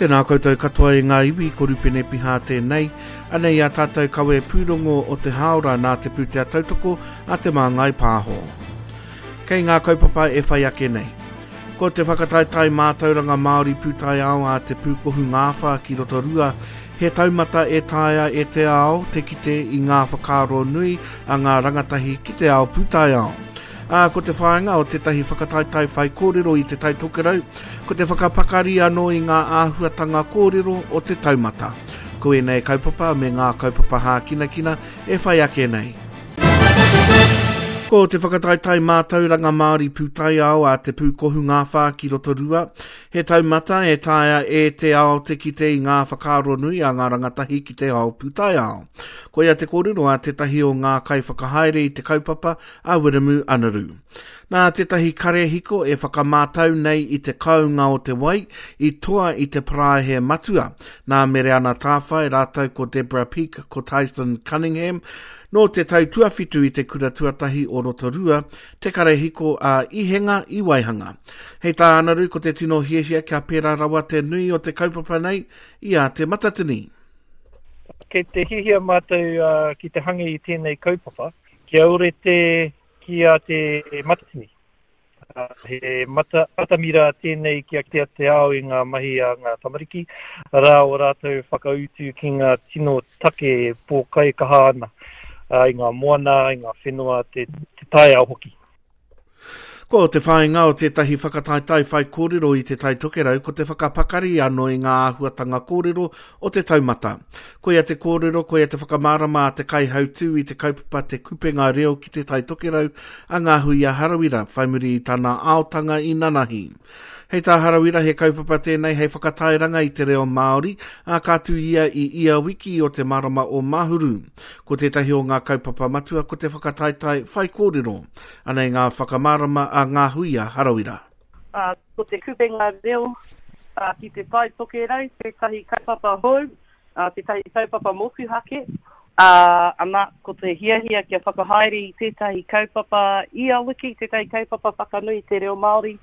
Tēnā koutou katoa e ngā iwi, ko Rupene Pihā tēnei. Anei ā tātou kawe pūrongo o te hāora nā te pūtea tautoko a Te Māngai Pāho. Kei ngā kaupapa e whai ake nei. Ko te whakataetae mātauranga Māori pūtaiao a Te Pūkohu Ngāwhā ki Rotorua, he taumata e taea e te ao te kite i ngā whakaaro nui a ngā rangatahi ki te ao pūtaiao. Ā, ko te whāinga o tētahi whakataetae whaikōrero i Te Tai Tokerau, ko te whakapakari anō i ngā āhuatanga kōrero o te taumata. Ko ēnei kaupapa me ngā kaupapa hākinakina e whai ake nei. Ko te whakataetae mātauranga Māori pūtaiao a Te Pūkohu Ngāwhā ki Rotorua, he taumata e taea e te ao te kite i ngā whakaaro nui a ngā rangatahi ki te ao pūtaiao. Koia te kōrero a tētahi o ngā kaiwhakahaere i te kaupapa, a Wiremu Anaru. Nā tētahi karehiko e whakamātau nei i te kounga o te wai i toa i te paraehe matua, nā Mereana Tāwhai rātou ko Deborah Peake ko Tyson Cunningham, nō te tau tuawhitu i te kura tuatahi o Rotorua, te karehiko a Ihenga i waihanga. Hei tā Anaru ko te tino hiahia kia pērā rawa te nui o te kaupapa nei i a Te Matatini. Kei te hiahia mātou ki te hangi i tēnei kaupapa, Kia ōrite ki a Te Matatini. He mata, atamira tēnei kia kitea te ao i ngā mahi a ngā tamariki, arā o rātou whakautu ki ngā tino take e pōkaikaha ana i ngā moana, i ngā whenua, te, te taiao hoki. Ko te whāinga o tētahi whakataetae whaikōrero i Te Tai Tokerau ko te whakapakari anō i ngā āhuatanga kōrero o te taumata. Koia te kōrero, koia te whakamārama a te kaihautū i te kaupapa Te Kupenga Reo ki Te Tai Tokerau, a Ngāhuia Harawira, whai muri i tana aotanga i nanahi. Hei tā Harawira he kaupapa tēnei hei whakatairanga i te reo Māori, ā, ka tū ia i ia wiki o te marama o Mahuru. Ko tētahi o ngā kaupapa matua ko te whakataetae whaikōrero. Anei ngā whakamārama a Ngāhuia Harawira. Ā, ko Te Kupenga Reo ki Te Tai Tokerau tētahi kaupapa hou, tētahi kaupapa motuhake, ā, ana, ko te hiahia kia whakahaere i tētahi kaupapa ia wiki, tētahi kaupapa whakanui i te reo Māori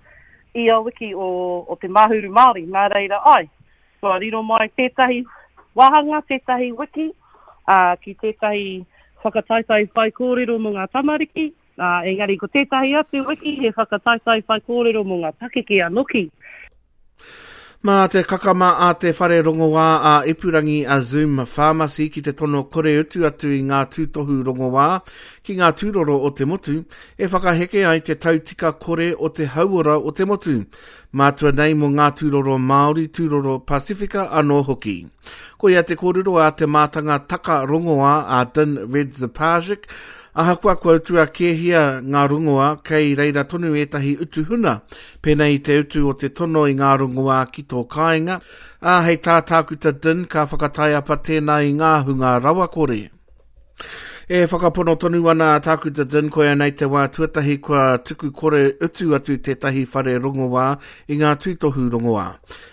ia wiki o, o te Mahuru Māori. Nā reira, āe, kua riro mai tētahi wāhanga, tētahi wiki, ā, ki tētahi whakataetae whaikōrero mō ngā tamariki, ā, engari ko tētahi atu wiki he whakataetae whaikōrero mō ngā pakeke anoki. Mā te kakama a te whare rongoā ā ipurangi a Zoom Pharmacy ki te tono kore utu atu i ngā tūtohu rongoā ki ngā tūroro o te motu, e whakaheke ai te tautika kore o te hauora o te motu, mātua nei mō ngā tūroro Māori, tūroro Pasifika anō hoki. Koia te kōrero a te mātanga taka rongoā a Din Redzepagic, ahakoa kua utua kēhia ngā rongoā, kei reira tonu ētahi utu huna, pēnei i te utu o te tono i ngā rongoā ki tō kāinga, ā, hei tā Tākuta Din ka whakataiapa tēnā i ngā hunga rawakore. E whakapono tonu ana a Tākuta Din koia nei te wā tuatahi kua tuku kore utu atu tētahi whare rongoā i ngā tūtohu rongoā.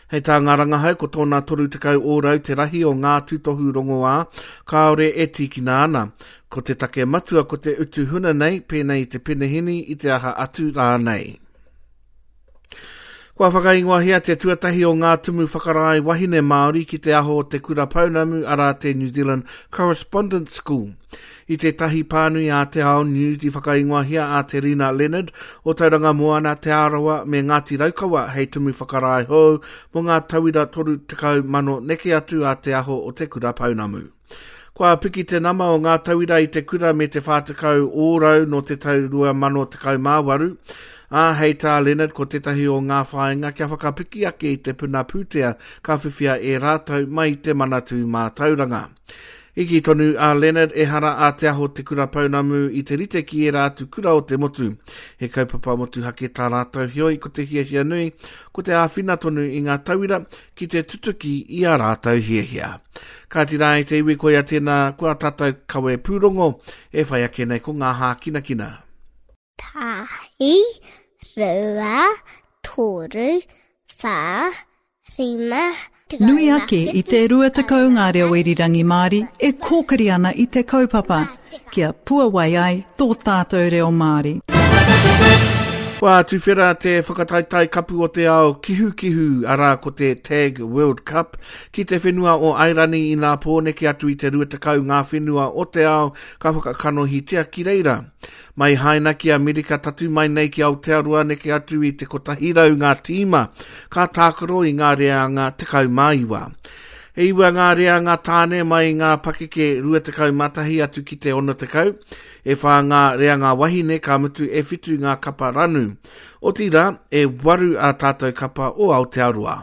Hei tā ngā rangahau ko tōna 30 ōrau te rahi o ngā tūtohu rongoā kāore e tīkina ana. Ko te take matua ko te utu huna nei, pēnei i te penehini, i te aha atu rānei. Kua whakaingoahia te tuatahi o ngā tumu whakarae wahine Māori ki te aho o te kura pounamu arā te New Zealand Correspondence School. I tētahi pānui a Te Ao News i whakaingoahia a Te Rina Leonard o Tauranga Moana, Te Arawa me Ngāti Raukawa hei tumu whakarae hou mō ngā tauira 30,000 neke atu a te aho o te kura pounamu. Kua piki te nama o ngā tauira i te kura me te 40 ōrau nō te tau 2018, ā, hei tā Leonard ko tētahi o ngā whāinga kia whakapiki ake i te puna pūtea ka whiwhia e rātou mai i te Manatū Mātauranga. I kī tonu a Leonard ehara a Te Aho Te Kura Pounamu i te rite ki ērā atu kura o te motu. He kaupapa motuhake tā rātou heoi ko te hiahia nui ko te āwhina tonu i ngā tauira ki te tutuki i ā rātou hiahia. Kāti rā e te iwi koia tēnā kua tātou kawe pūrongo e whai ake nei ko ngā hākinakina. Tahi, rua, toru, whā, rima, Nui ake i te 20 ngā reo irirangi Māori e kōkiri ana i te kaupapa kia puawai ai tō tātou reo Māori. Kua tuwhera te whakataetae kapu o te ao kihukihu, arā ko te Tag World Cup, ki te whenua o Airani inā pō neke atu i te 20 ngā whenua o te ao ka whakakanohitia ki reira. Mai Haina ki Amerika tatū mai nei ki Aotearoa neke atu i te 100 ngā tīma ka tākaro i ngā reanga 19. E iwa ngā reanga tāne mai i ngā pakeke 21 atu ki te 60, E whā ngā reanga wahine, ka mutu e whitu ngā kapa ranu. Otirā, e waru ā tātou kapa o Aotearoa.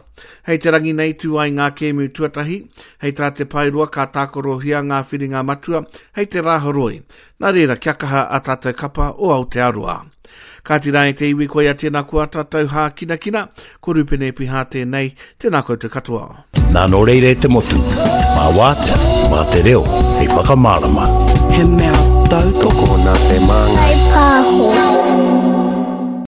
Hei te rangi nei tū ai ngā kēmu tuatahi, hei tā Te Paeroa ka tākarohia ngā whiringa matua hei te Rāhoroi. Nā reira, kia kaha ā tātou kapa o Aotearoa. Kāti rā e te iwi koia tēnā ko ā tātou hākinakina, ko Rupene Piha tēnei, tēnā koutou katoa. Nā nō reira e te motu, mā wātea, mā te reo, hei whakamārama. He mea tautoko. Tokona te māngai. Whai pāho.